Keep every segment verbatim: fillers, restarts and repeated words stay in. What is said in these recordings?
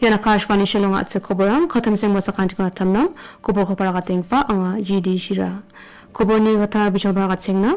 Ian Akashvani Shillong a·chik koborang, katamseng basakantikon atamnang, koborko paragatenggipa anga G D Shira. Koborni gita bijong paragachengna,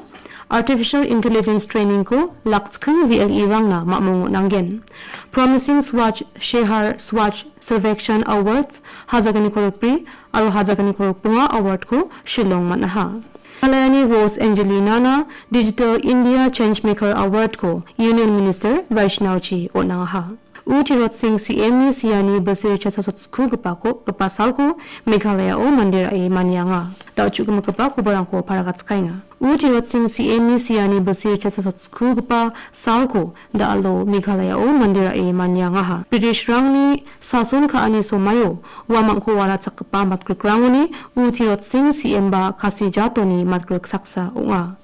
Artificial Intelligence Training-ko lakchking V L E-rangna mamung on·angen. Promising Swachh Shehar Swachh Survekshan Awards, hazaganiko rikbri, aro hazaganiko rikbonga award-ko Shillong man·aha. Meghalayani Rose Angelina-na Digital India Changemaker Award-ko Union Minister Vaishnaw-chi on·angaha. U Tirot Singh C M-ni siani bilsi richacha sotskugipako, gipa salko Meghalaya-o mande ra·e manianga. Da·o chu·gimikgipa koborangko paragatskaenga. U Tirot Singh C M-ni siani bilsi richacha sotskuggipa salko da·alo Meghalaya-o mande ra·e maniangaha. British-rangni sason ka·ani somaio uamangko walachakgipa matgrikrangoni U Tirot Singh C M-ba Khasi jatoni matgrik saksa ong·a.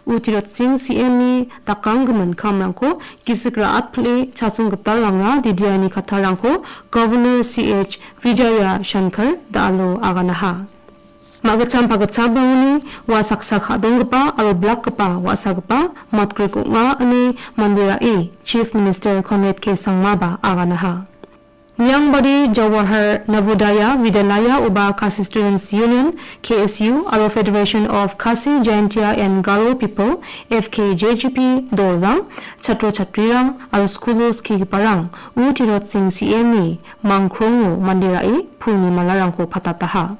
U Tirot Singh C M-ni dakanggimin kamrangko gisik ra·atpile chasong gitalrangra didiani kattarangko Governor C H Vijaya Shankar da·alo aganaha. Ma·gitcham pagitchamrangoni ua saksa ka·donggipa aro blakgipa wa·sagipa matgrik ong·a ine mande ra·e Chief Minister Conrad K Sangmaba aganaha. Miangbari Jawahar Navodaya Vidyalaya oba Khasi Students Union, K S U, aro Federation of Khasi Jaintia and Garo People, F K J G P, dolrang, chatro chatrirang, aro skulo skigiparang U Tirot Singh C M-ni mangkrongo mande ra·e pulni malarangko patataha.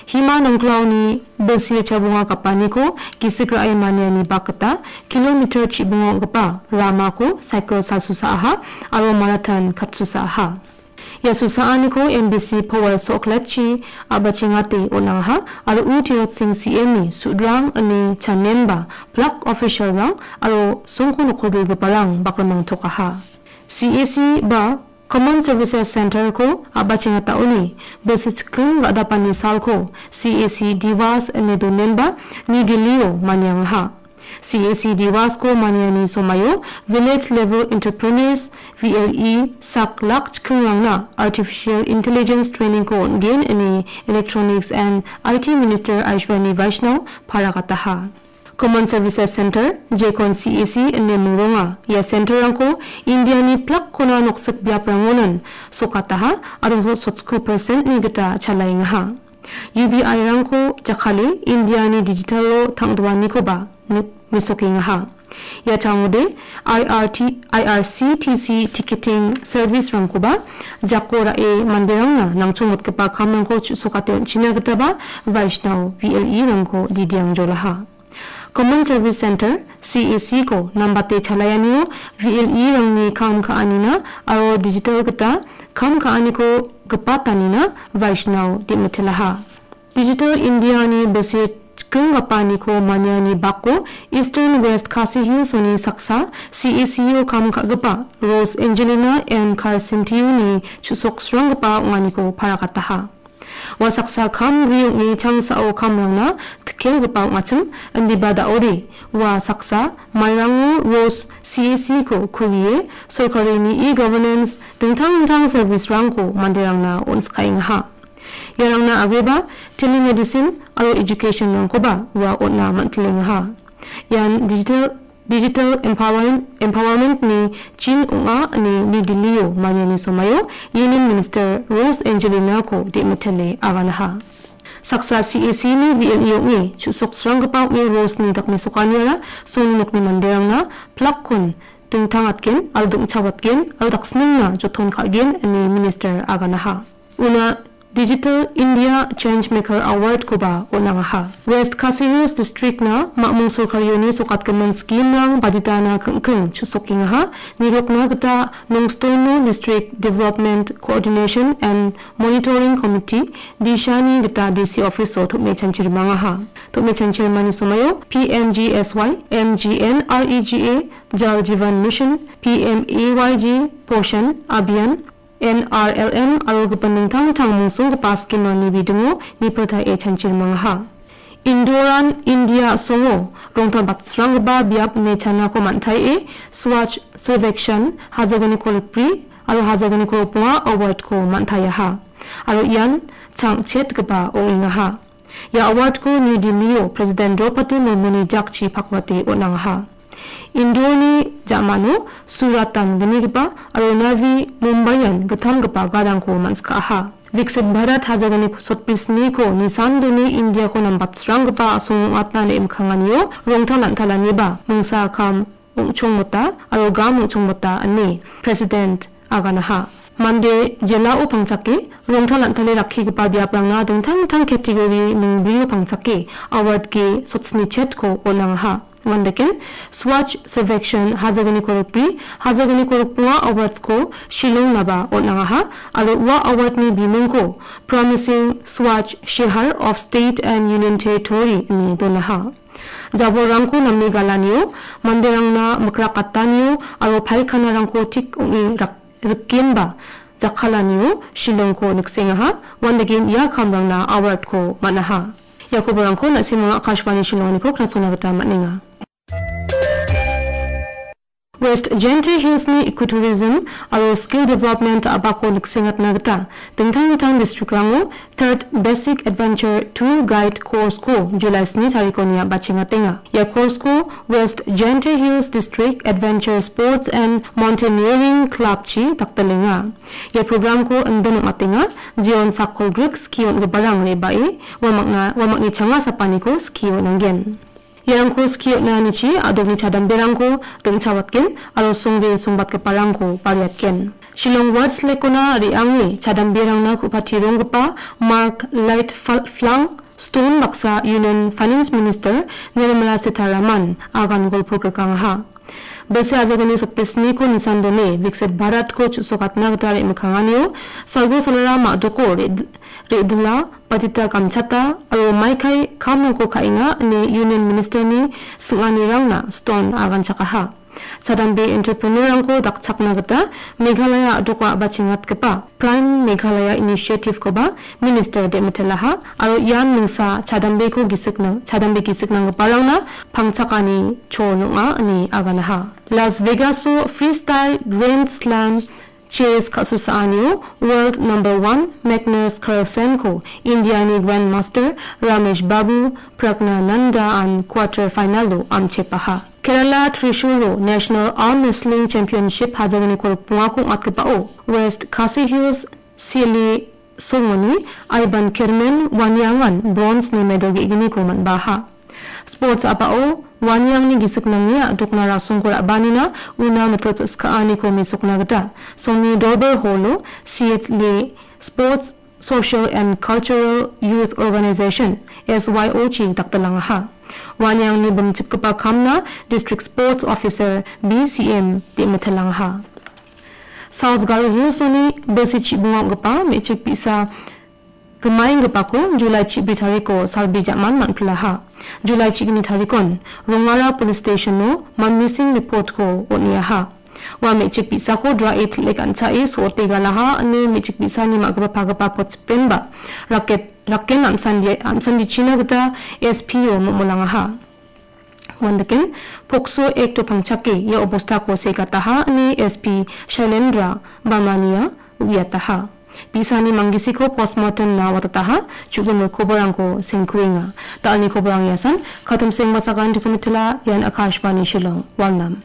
Hima nongklaoni bilsi chabonga gapaniko gisik ra·e maniani bak gita kilometer chibonga ong·gipa ramako cycle salsusaaha aro marathon katsusaaha. Ia susaaniko M B C Powal Sokletchi a·bachengate on·angaha aro U Tirot Singh C M-ni sudrang ine chanenba block official-rang aro songko nokko dilgiparang bakrimang tokaha. C A C ba Common Services Center-ko a·bachengataoni bilsi chiking ga·dapani salko C A C Diwas ine donenba New Delhi-o maniangaha. C A C Diwas-ko maniani somaio Village Level Entrepreneurs, V L E, sak lak chikingrangna Artificial Intelligence Training-ko on·gen ine Electronics and I T Minister Ashwini Vaishnaw paragataha. Common Services Center, jekon C A C ine mingronga. Ia center-rangko Indiani plakkona noksik biaprangonan sokataha aro sotsko percent-ni gita chalaengaha. U B I-rangko jakkale Indiani digital-o tang·doanikoba ni-, mesokengaha. Ia changode I R T, I R C T C ticketing service-rangkoba jako ra·e manderangna nangchongmotgipa kamrangko chu·sokate on·china gitaba Vaishnaw V L E-rangko didiangjolaha. Common Service Center, C A C-ko nambate chalaianio V L E-rangni kam ka·anina aro digital gita kam ka·aniko gipatanina Vaishnaw de·mitilaha. Digital India-ni bilsi chikinggipaniko maniani bako Eastern West Khasi Hills-oni saksa C A C-o kam ka·gipa Rose Angelina M Carcentio-ni chu·soksranggipa ong·aniko paragataha. Ua saksa kam ri ong·e changsao kamrangna tikelgipa ong·achim, indiba da·ode ua saksa mairango Rose C A C-ko kulie sorkarini e-governance dingtang dingtang service-rangko manderangna on·skaengaha. Iarangna agreba telemedicine aro education-rangkoba ua on·a man·tilengaha. Ian digital Digital empower-, empowerment-ni chin ong·a ine New Delhi-o maniani somaio Union Minister Rose Angelina-ko de·mitele aganaha. Saksa C A C-ni V L E ong·e chu·soksranggipa ong·e Rose-ni dakmesokaniara songni nokni manderangna plakkon dingtangatgen aro dongchawatgen aro daksningna joton ka·gen ine Minister aganaha. Una Digital India Changemaker Award-koba on·angaha. West Khasi Hills District-na mamung sorkarioni sokatgimin scheme-rang baditana king-, king-, chu·sokengaha. Nirokna gita Nongstoino District Development Coordination and Monitoring Committee, DISHA-ni gita D C office-o tom·e chanchirimangaha. Tom·e chanchirimani somaio P M G S Y, M G N R E G A, Jal Jeevan Mission, P M A Y G, Poshan Abhiyan, N R L M aro gipin dingtang dingtang mungsonggipa scheme-rangni bidingo nipiltae chanchirimangaha. Indoran India a·songo rongtalbatsranggipa biap ine chanako man·taie Swachh Survekshan hazaganiko rikbri aro hazaganiko rikbonga award-ko man·taiaha. Aro ian chang·chetgipa ong·engaha. Ia award-ko New Delhi-o President Draupadi Murmuni jakchi pakwate on·angaha. Indorni ja·mano Surat-an gnigipa aro Navi Mumbaian gittamgipa gadangko man·sikaha. Viksit Bharat hajalgni sotbrisniko nisan done Indiako nambatsranggipa a·song ong·atna re·mikanganio rongtal an·talaniba mingsa kam ong·chongmota aro gam ong·chongmota ine President aganaha. Mande jelao pangchake rongtal an·tale rakkigipa biaprangna dingtang dingtang category mingbrio pangchake award-ge sotsni chetko on·angaha. Uandake Swachh Survekshan hajalgni korokbri, hajalgni korokbonga awards-ko Shillongnaba on·angaha aro ua award-ni bimungko Promising Swachh Shehar of State and Union Territory ine donaha. Jabolrangko name galanio, manderangna mikrak gatanio aro paikhanarangko tik ong·e rak-, rikenba jakkalanio Shillongko niksengaha, uandake ia kamrangna award-ko man·aha. Ia koborangko na·simang Akashvani Shillongniko knasona gita man·enga. West Jaintia Hills-ni ecotourism aro skill development a·bako niksengatna gita dingtang dingtang district-rango Third Basic Adventure Tour Guide course-ko July sni tarikoni a·bachengatenga. Ia course-ko West Jaintia Hills District Adventure Sports and Mountaineering Club-chi dakdalenga. Ia program-ko indon ong·atenga, jeon sakkolgrik ski on·giparang re·bae uamakna, uamakni changa sapaniko ski on·angen. Iarangko ski on·anichi a·dokni chadamberangko dingchawatgen aro songre songbatgiparangko bariatgen. Shillong Ward selekona re·ange chadamberangna ku·pati ronggipa Mark Light Fal-, Flang Stone baksa Union Finance Minister Nirmala Sitharaman agan golpo grikangaha. Bilsi ajagani sotbrisniko nisan done Viksit Bharatko chu·sokatna gita re·mikanganio salgo salara ma·doko re-, re·dila batita gamchata aro maikai kamrangko ka·enga ine Union Minister-ni sing·anirangna Stone aganchakaha. Chadambe entrepreneur-rangko dakchakna gita Meghalaya a·doko a·bachengatgipa Prime Meghalaya Initiative-koba Minister de·mitelaha aro ian mingsa chadambeko gisik nang-, chadambe gisik nanggiparangna pangchakani chol ong·a ine aganaha. Las Vegas-o Freestyle Grand Slam Chess ka·susaanio world number one Magnus Carlsen-ko India-ni Grandmaster Ramesh Babu Praggnanandhaan quarter final-o amchepaha. Kerala Thrissur-o National Arm Wrestling Championship hajalgni korokbongako ong·atgipao West Khasi Hills Sili Songoni Ivan Kermen Wanyangan bronze-ni medal ge·gniko man·baha. Sports a·pao Wanyangni gisik nange a·dokna rasongko ra·baanina una mitpil pil·skaaniko mesokna gita Songni Dorbar Hall-o C H L Sports Social and Cultural Youth Organization, S Y O-chi dakdalangaha. Wanyangni bimchipgipa kamna District Sports Officer, B C M, de·mitelangaha. South Garo Hills-oni bilsi chibonga ong·gipa me·chik bi·sa gimaenggipako July chibri tariko salbi ja·man man·pilaha. July chigni tarikon Rongara Police Station-o missing report-ko on·eaha. Ua me·chik bi·sako dra·e til·e gan·chae so·ote galaha ine me·chik bi·sani ma·gipa pagipa potchipenba raket-, raken amsandi-, amsandichina gita S P-o momolangaha. Uandaken, Pokso Act-o pangchake ia obostako segataha ine S P Shailendra Bamania uiataha. Bi·sani manggisiko postmortem-na watataha, chu·gimil koborangko sengkuenga. Da·alni koborang iasan, Katumseng Basakan Dikumitila, ian Akashvani Shillong, Walnam.